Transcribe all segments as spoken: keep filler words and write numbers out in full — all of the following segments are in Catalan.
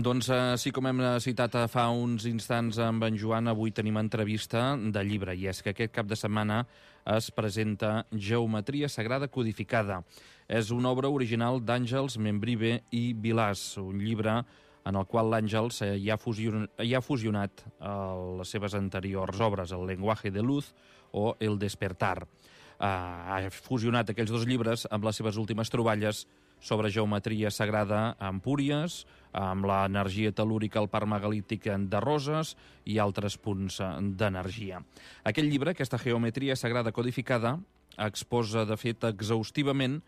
Doncs així com hem citat fa uns instants amb en Joan, avui tenim entrevista de llibre, i és que aquest cap de setmana es presenta Geometria Sagrada Codificada. És una obra original d'Àngels Membrive i Vilàs, un llibre en el qual l'Àngels hi ha, fusion, hi ha fusionat uh, les seves anteriors obres, El lenguaje de luz o El despertar. Uh, ha fusionat aquells dos llibres amb les seves últimes troballes sobre geometria sagrada a Empúries, amb l'energia tel·lúrica al parc megalític de Roses i altres punts d'energia. Aquest llibre, aquesta Geometria Sagrada Codificada, exposa, de fet, exhaustivament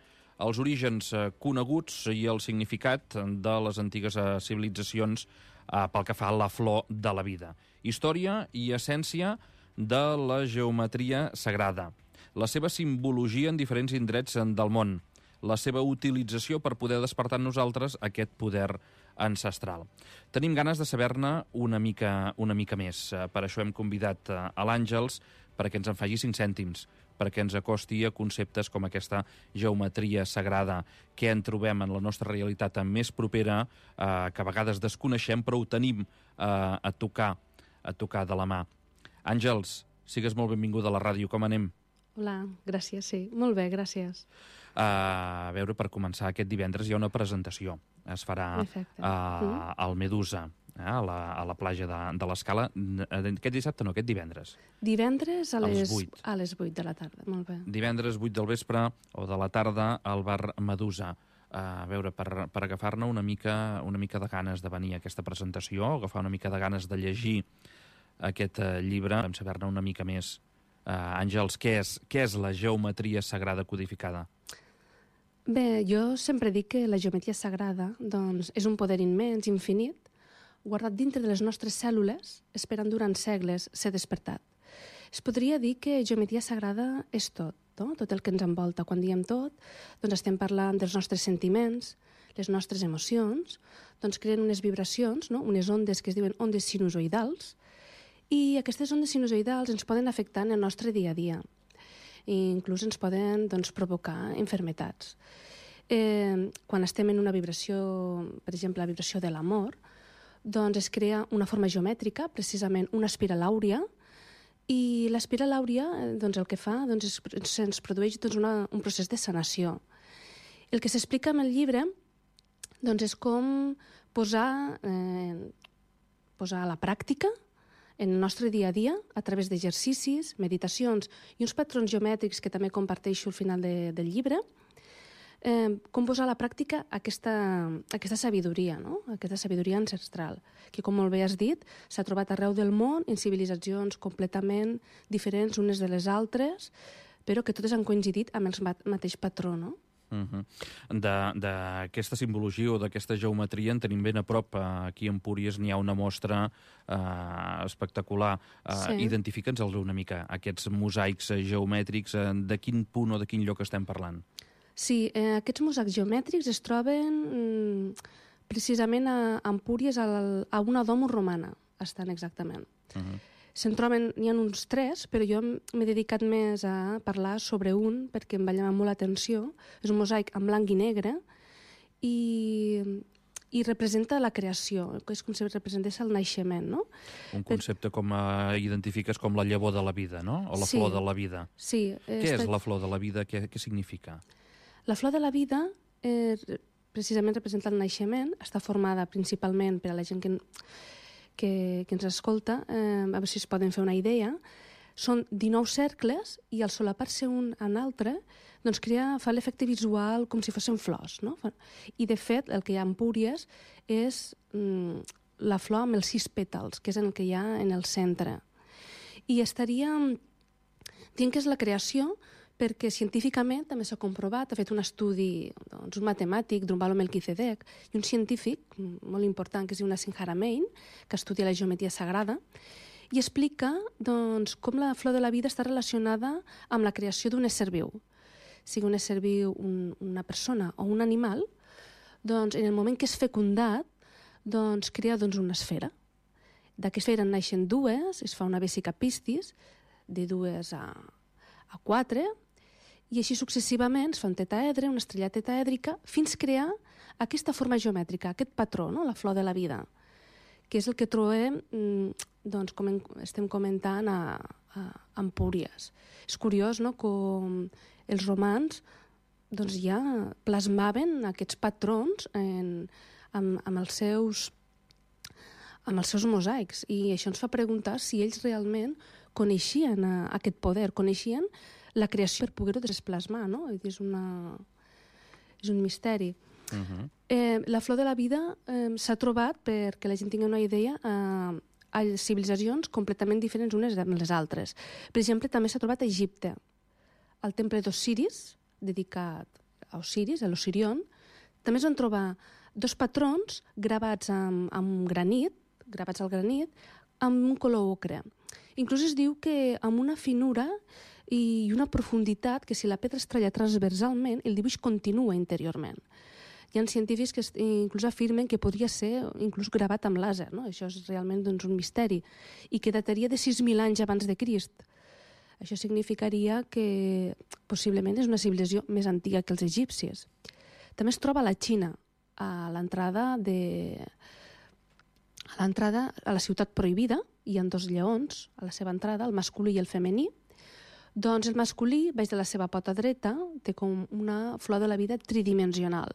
els orígens coneguts i el significat de les antigues civilitzacions pel que fa a la flor de la vida. Història i essència de la geometria sagrada, la seva simbologia en diferents indrets del món, la seva utilització per poder despertar en nosaltres aquest poder ancestral. Tenim ganes de saber-ne una mica, una mica més. Per això hem convidat a l'Àngels perquè ens en faci cinc cèntims, perquè ens acosti a conceptes com aquesta geometria sagrada que en trobem en la nostra realitat més propera, eh, que a vegades desconeixem, però ho tenim eh, a tocar, a tocar de la mà. Àngels, sigues molt benvinguda a la ràdio, com anem? Hola, gràcies, sí. Molt bé, gràcies. Uh, a veure, per començar, aquest divendres hi ha una presentació. Es farà uh, mm. al Medusa, eh, a, la, a la platja de, de l'Escala. Aquest dissabte no, aquest divendres. Divendres a, a les, les vuit. A les vuit de la tarda, molt bé. Divendres vuit del vespre o de la tarda al bar Medusa. Uh, a veure, per, per agafar-ne una mica, una mica de ganes de venir a aquesta presentació, agafar una mica de ganes de llegir aquest uh, llibre, vam saber-ne una mica més. Uh, Àngels, què és, què és la geometria sagrada codificada? Bé, jo sempre dic que la geometria sagrada doncs, és un poder immens, infinit, guardat dintre de les nostres cèl·lules, esperant durant segles ser despertat. Es podria dir que geometria sagrada és tot, no? Tot el que ens envolta. Quan diem tot, doncs estem parlant dels nostres sentiments, les nostres emocions, doncs creen unes vibracions, no? Unes ondes que es diuen ondes sinusoidals, i aquestes ondes sinusoidals ens poden afectar en el nostre dia a dia. I inclús ens poden doncs, provocar infermetats. Eh, quan estem en una vibració, per exemple, la vibració de l'amor, doncs es crea una forma geomètrica, precisament una espiral àurea, i l'espiral àurea doncs, el que fa doncs, és, ens produeix doncs, una, un procés de sanació. El que s'explica en el llibre doncs, és com posar, eh, posar a la pràctica en el nostre dia a dia, a través d'exercicis, meditacions i uns patrons geomètrics que també comparteixo al final de, del llibre, eh, com posar a la pràctica aquesta, aquesta sabidoria, no? Aquesta sabidoria ancestral, que, com molt bé has dit, s'ha trobat arreu del món en civilitzacions completament diferents unes de les altres, però que totes han coincidit amb el mateix patró, no? Uh-huh. D'aquesta simbologia o d'aquesta geometria en tenim ben a prop. Aquí a Empúries n'hi ha una mostra uh, espectacular. Uh, sí. Identifica'ns una mica aquests mosaics geomètrics. Uh, de quin punt o de quin lloc estem parlant? Sí, eh, aquests mosaics geomètrics es troben mm, precisament a Empúries, al, a una domus romana, estan exactament. Uh-huh. Se'n troben, n'hi ha uns tres, però jo m'he dedicat més a parlar sobre un perquè em va llamar molt l'atenció. És un mosaic en blanc i negre i, i representa la creació, és com si representés el naixement, no? Un concepte com uh, identifiques com la llavor de la vida, no? O la sí, flor de la vida. Sí. Què estat... és la flor de la vida? Què, què significa? La flor de la vida eh, precisament representa el naixement, està formada principalment per a la gent que... Que, que ens escolta, eh, a veure si es poden fer una idea, són dinou cercles i al solapar-se un en altre doncs crea, fa l'efecte visual com si fossin flors, no? I de fet el que hi ha a Empúries és mm, la flor amb els sis pètals, que és el que hi ha en el centre. I estaria dient que és la creació perquè científicament també s'ha comprovat, ha fet un estudi, doncs, un matemàtic, Drunvalo Melchizedek, i un científic molt important que es diu Nassim Haramein, que estudia la geometria sagrada, i explica doncs, com la flor de la vida està relacionada amb la creació d'un ésser viu. Sigui un ésser viu, un, una persona o un animal, doncs en el moment que és fecundat, doncs crea doncs, una esfera. D'aquesta esfera en naixen dues, es fa una vesica pistis, de dues a, a quatre, i així successivament es fa un tetaedre, una estrella tetaèdrica, fins crear aquesta forma geomètrica, aquest patró, no? La flor de la vida, que és el que trobem, doncs, com estem comentant, a, a Empúries. És curiós, no?, com els romans doncs, ja plasmaven aquests patrons en, amb, amb, els seus, amb els seus mosaics, i això ens fa preguntar si ells realment coneixien a, aquest poder, coneixien la creació per poder-ho desplasmar, no? És, una, és un misteri. Uh-huh. eh, la flor de la vida eh, s'ha trobat, perquè la gent tingui una idea, eh, a civilitzacions completament diferents unes de les altres. Per exemple, també s'ha trobat a Egipte, al temple d'Osiris, dedicat a Osiris, a l'Osirion. També es van trobar dos patrons gravats amb, amb granit, gravats al granit, amb un color ocre. Inclús es diu que amb una finura i una profunditat que si la pedra es talla transversalment, el dibuix continua interiorment. Hi ha científics que inclús afirmen que podria ser inclús gravat amb làser, no? Això és realment doncs, un misteri, i que dataria de sis mil anys abans de Crist. Això significaria que possiblement és una civilització més antiga que els egipcis. També es troba a la Xina, a l'entrada de... a l'entrada a la ciutat prohibida, hi ha dos lleons a la seva entrada, el masculí i el femení. Doncs el masculí, baix de la seva pota dreta, té com una flor de la vida tridimensional.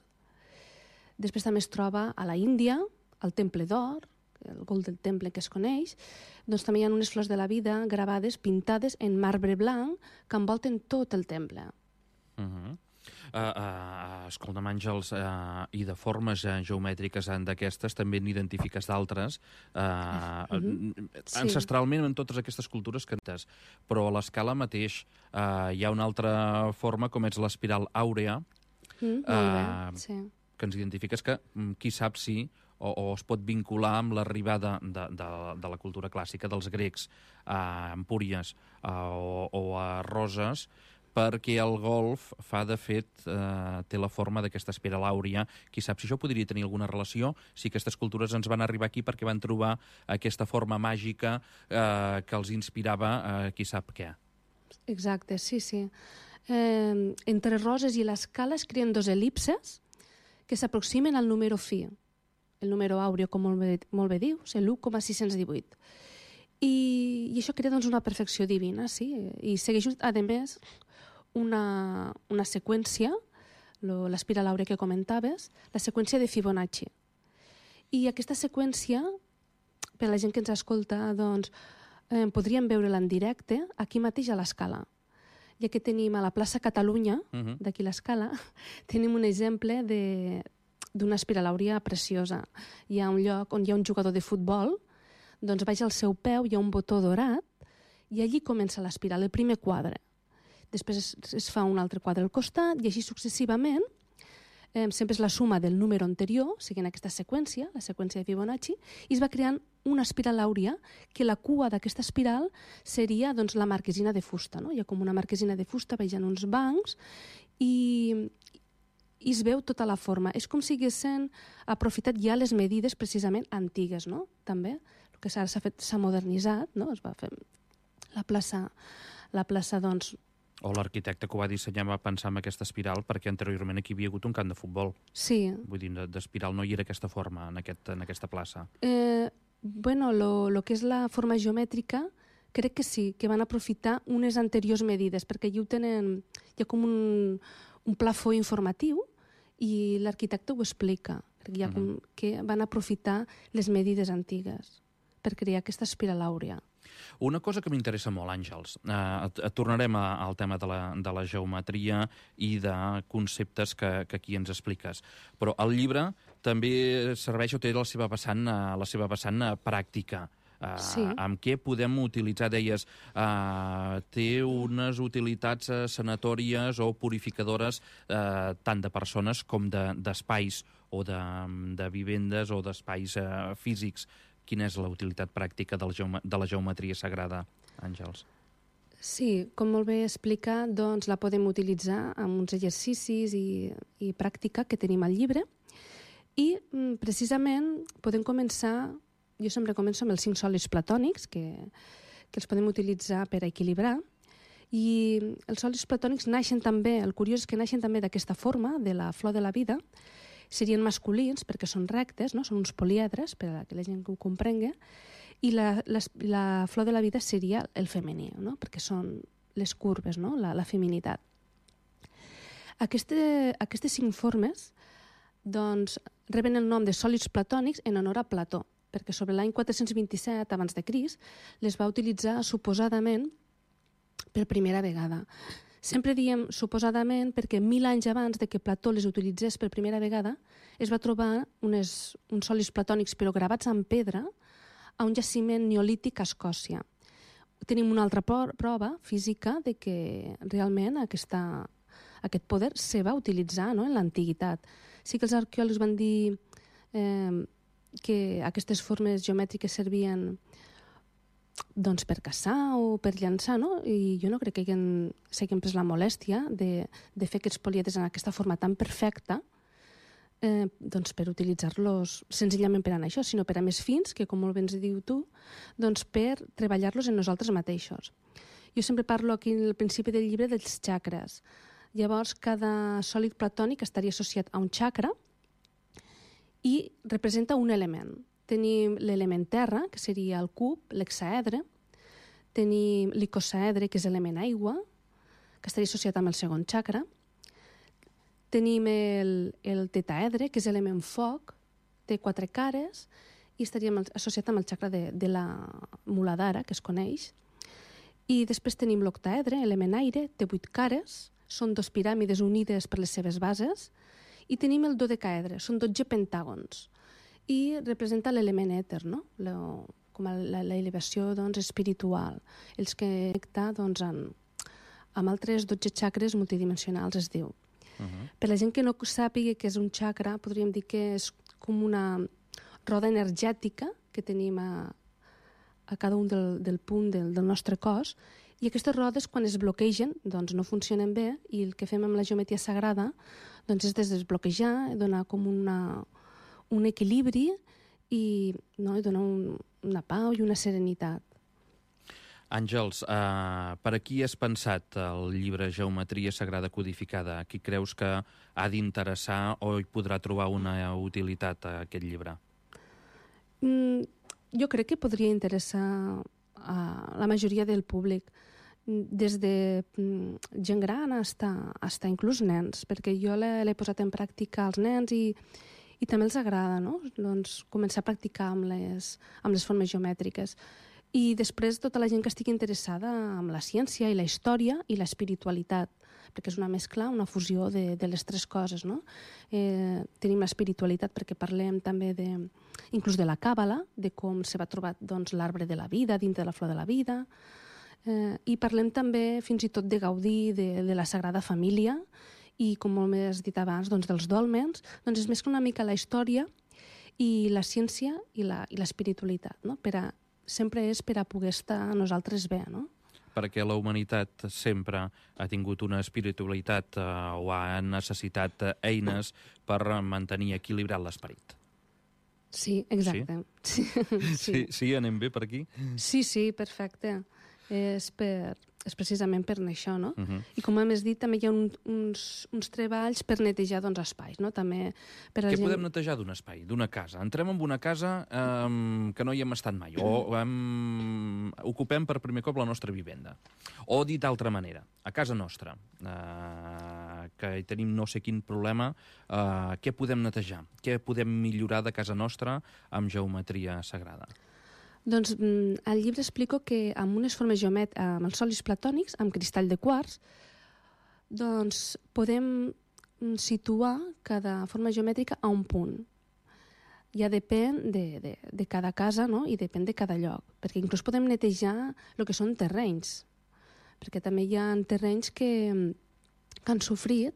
Després també es troba a la Índia, al Temple d'Or, el Golden Temple que es coneix, doncs també hi ha unes flors de la vida gravades, pintades en marbre blanc, que envolten tot el temple. Uh-huh. Uh, uh, escolta'm, Àngels, uh, i de formes uh, geomètriques d'aquestes també n'identifiques d'altres, uh, uh-huh. sí. ancestralment en totes aquestes cultures cantes, però a l'escala mateix uh, hi ha una altra forma, com és l'espiral àurea, mm, molt bé, uh, sí. que ens identifiques que qui sap si o, o es pot vincular amb l'arribada de, de, de la cultura clàssica dels grecs a Empúries uh, o, o a Roses, perquè el golf fa, de fet, eh, té la forma d'aquesta espiral àurea. Qui sap si això podria tenir alguna relació, si aquestes cultures ens van arribar aquí perquè van trobar aquesta forma màgica eh, que els inspirava, eh, qui sap què. Exacte, sí, sí. Eh, entre Roses i l'escala es creen dos elipses que s'aproximen al número fi, el número àureo, com molt bé, molt bé dius, l'u coma sis-cents divuit. I, i això crea doncs, una perfecció divina, sí, i segueix, a més, una, una seqüència, l'espiral àurea que comentaves, la seqüència de Fibonacci. I aquesta seqüència, per a la gent que ens escolta, doncs, eh, podríem veure-la en directe aquí mateix a l'Escala. Ja que tenim a la plaça Catalunya, uh-huh. d'aquí l'Escala, tenim un exemple d'una espiral àurea preciosa. Hi ha un lloc on hi ha un jugador de futbol, doncs baix al seu peu hi ha un botó dorat i allí comença l'espiral, el primer quadre. Després es, es fa un altre quadre al costat i així successivament, eh, sempre és la suma del número anterior, seguint aquesta seqüència, la seqüència de Fibonacci, i es va creant una espiral àurea que la cua d'aquesta espiral seria doncs, la marquesina de fusta. No? Hi ha com una marquesina de fusta vegant uns bancs i, i es veu tota la forma. És com si haguessin aprofitat ja les medides precisament antigues, no? També. El que s'ha fet s'ha modernitzat, no? Es va fer la plaça, la plaça doncs, o l'arquitecte que ho va dissenyar va pensar en aquesta espiral perquè anteriorment aquí hi havia hagut un camp de futbol. Sí. Vull dir, d'espiral no hi era aquesta forma en, aquest, en aquesta plaça. Eh, bueno, lo, lo que és la forma geomètrica, crec que sí, que van aprofitar unes anteriors medides, perquè allí ho tenen, hi ha com un, un plafó informatiu i l'arquitecte ho explica, hi ha com, uh-huh. que van aprofitar les medides antigues per crear aquesta espiral àurea. Una cosa que m'interessa molt, Àngels, eh, tornarem a, al tema de la, de la geometria i de conceptes que, que aquí ens expliques, però el llibre també serveix o té la seva vessant, la seva vessant pràctica. Uh, sí. Amb què podem utilitzar, deies, uh, té unes utilitats uh, sanatòries o purificadores uh, tant de persones com d'espais de, o de, de vivendes o d'espais uh, físics. Quina és la utilitat pràctica de la, geome de la geometria sagrada, Àngels? Sí, com molt bé explica, doncs la podem utilitzar amb uns exercicis i, i pràctica que tenim al llibre i precisament podem començar, jo sempre començo amb els cinc sòlids platònics que, que els podem utilitzar per a equilibrar i els sòlids platònics naixen també, el curiós és que naixen també d'aquesta forma, de la flor de la vida, serien masculins perquè són rectes, no? Són uns poliedres, per a que la gent ho comprengui, i la, la, la flor de la vida seria el femení, no? Perquè són les curves, no? la, la feminitat. Aquest, aquestes cinc formes doncs, reben el nom de sòlids platònics en honor a Plató, perquè sobre l'any quatre-cents vint-i-set abans de Crist les va utilitzar suposadament per primera vegada. Sempre diem suposadament perquè mil anys abans de que Plató les utilitzés per primera vegada es va trobar unes, uns sòlids platònics però gravats en pedra a un jaciment neolític a Escòcia. Tenim una altra prova física de que realment aquesta, aquest poder se va utilitzar, no?, en l'antiguitat. Sí que els arqueòlegs van dir eh, que aquestes formes geomètriques servien doncs, per caçar o per llançar, no? I jo no crec que s'hagin pres la molèstia de, de fer aquests poliedres en aquesta forma tan perfecta eh, doncs per utilitzar-los senzillament per a això, sinó per a més fins, que com molt bé ens diu tu, doncs per treballar-los en nosaltres mateixos. Jo sempre parlo aquí al principi del llibre dels xacres. Llavors, cada sòlid platònic estaria associat a un xacra i representa un element. Tenim l'element terra, que seria el cub, l'hexaedre. Tenim l'icosaedre, que és l'element aigua, que estaria associat amb el segon xacra. Tenim el, el tetaedre, que és l'element foc, té quatre cares, i estaria associat amb el xacra de, de la muladhara, que es coneix. I després tenim l'octaedre, element aire, té vuit cares, són dos piràmides unides per les seves bases, i tenim el dodecaedre, són dotze pentàgons, i representa l'element èter, no? La, com a l'elevació doncs, espiritual, els que connecta doncs, amb, amb altres dotze xacres multidimensionals, es diu. Uh-huh. Per la gent que no sàpiga què és un xacra, podríem dir que és com una roda energètica que tenim a, a cada un del, del punt del, del nostre cos, i aquestes rodes, quan es bloquegen, doncs no funcionen bé, i el que fem amb la geometria sagrada doncs és desbloquejar, donar com una, un equilibri i, no, i donar un, una pau i una serenitat. Àngels, eh, per a qui has pensat el llibre Geometria Sagrada Codificada? A qui creus que ha d'interessar o hi podrà trobar una utilitat a aquest llibre? Mm, jo crec que podria interessar a la majoria del públic, des de gent gran fins a inclús nens, perquè jo l'he posat en pràctica als nens i, i també els agrada, no? Doncs, començar a practicar amb les, amb les formes geomètriques. I després tota la gent que estigui interessada en la ciència i la història i l'espiritualitat, perquè és una mescla, una fusió de, de les tres coses, no? Eh, tenim l'espiritualitat perquè parlem també de, inclús de la càbala, de com se va trobar doncs, l'arbre de la vida dintre de la flor de la vida, eh, i parlem també fins i tot de gaudir de, de la Sagrada Família i, com molt més dit abans, doncs, dels dòlmens. Doncs es mescla una mica la història i la ciència i l'espiritualitat, no? Per a, sempre és per a poder estar a nosaltres bé, no? Perquè la humanitat sempre ha tingut una espiritualitat eh, o ha necessitat eines per mantenir equilibrat l'esperit. Sí, exacte. Sí? Sí. Sí, sí, anem bé per aquí? Sí, sí, perfecte. És, per, és precisament per això, no? Uh-huh. I com hem dit, també hi ha un, uns, uns treballs per netejar doncs, espais, no? També per Què gent... podem netejar d'un espai, d'una casa? Entrem en una casa eh, que no hi hem estat mai, o hem... ocupem per primer cop la nostra vivenda. O, dit d'altra manera, a casa nostra, eh, que hi tenim no sé quin problema, eh, què podem netejar? Què podem millorar de casa nostra amb geometria sagrada? Doncs al llibre explico que amb unes formes geomètriques, amb els sòlids platònics, amb cristall de quars, doncs podem situar cada forma geomètrica a un punt. Ja depèn de, de, de cada casa, no? I depèn de cada lloc, perquè inclús podem netejar el que són terrenys, perquè també hi ha terrenys que, que han sofrit,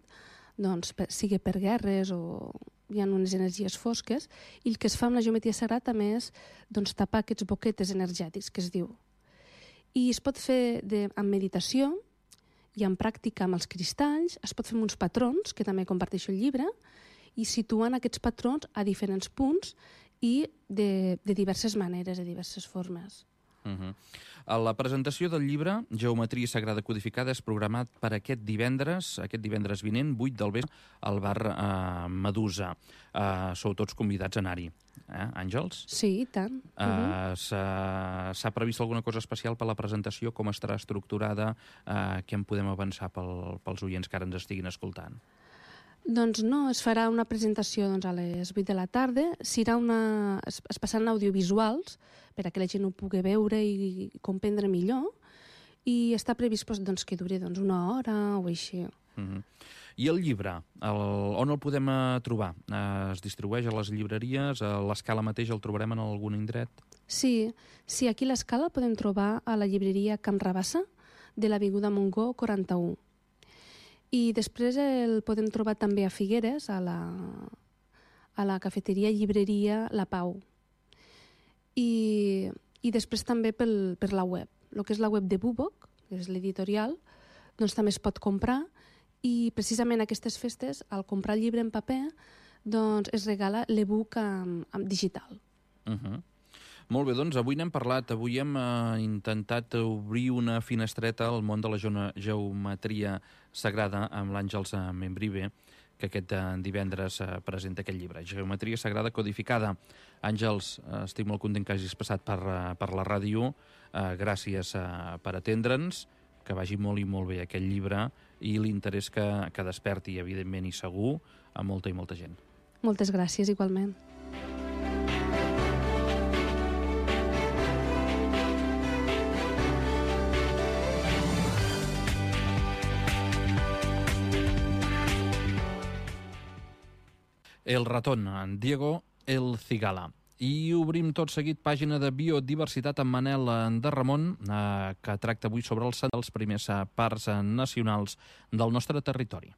doncs, per, sigui per guerres o hi ha unes energies fosques, i el que es fa amb la geometria sagrada també és doncs, tapar aquests boquetes energètics, que es diu. I es pot fer de, amb meditació i amb pràctica amb els cristalls, es pot fer amb uns patrons, que també comparteixo el llibre, i situant aquests patrons a diferents punts i de, de diverses maneres, de diverses formes. Uh-huh. La presentació del llibre Geometria Sagrada Codificada és programat per aquest divendres, aquest divendres vinent, vuit del vespre, al bar eh, Medusa. Eh, sou tots convidats a anar-hi. Eh, Àngels? Sí, i tant. Uh, uh-huh. S'ha previst alguna cosa especial per la presentació? Com estarà estructurada? Uh, què en podem avançar pel, pels oients que ara ens estiguin escoltant? Doncs no, es farà una presentació doncs, a les vuit de la tarda. Serà una... es, es passaran audiovisuals per a que la gent ho pugui veure i comprendre millor, i està previst doncs, que duri doncs, una hora o així. Uh-huh. I el llibre, el, on el podem uh, trobar? Uh, es distribueix a les llibreries? A l'Escala mateix el trobarem en algun indret? Sí, sí, aquí a l'Escala el podem trobar a la llibreria Camp Rabassa, de l'Avinguda Montgó quaranta-u. I després el podem trobar també a Figueres, a la, a la cafeteria llibreria La Pau. I, i després també pel, per la web. El que és la web de Bubok, que és l'editorial, doncs també es pot comprar, i precisament aquestes festes, al comprar el llibre en paper, doncs es regala l'e-book amb, amb digital. Uh-huh. Molt bé, doncs avui n'hem parlat, avui hem eh, intentat obrir una finestreta al món de la geometria sagrada amb l'Àngels Membrive, que aquest divendres eh, presenta aquest llibre, Geometria Sagrada Codificada. Àngels, eh, estic molt content que hagis passat per, per la ràdio, eh, gràcies eh, per atendre'ns, que vagi molt i molt bé aquest llibre i l'interès que, que desperti, evidentment i segur, a molta i molta gent. Moltes gràcies, igualment. El ratón, en Diego El Cigala. I obrim tot seguit pàgina de biodiversitat amb Manel de Ramon, eh, que tracta avui sobre els, els primers parcs nacionals del nostre territori.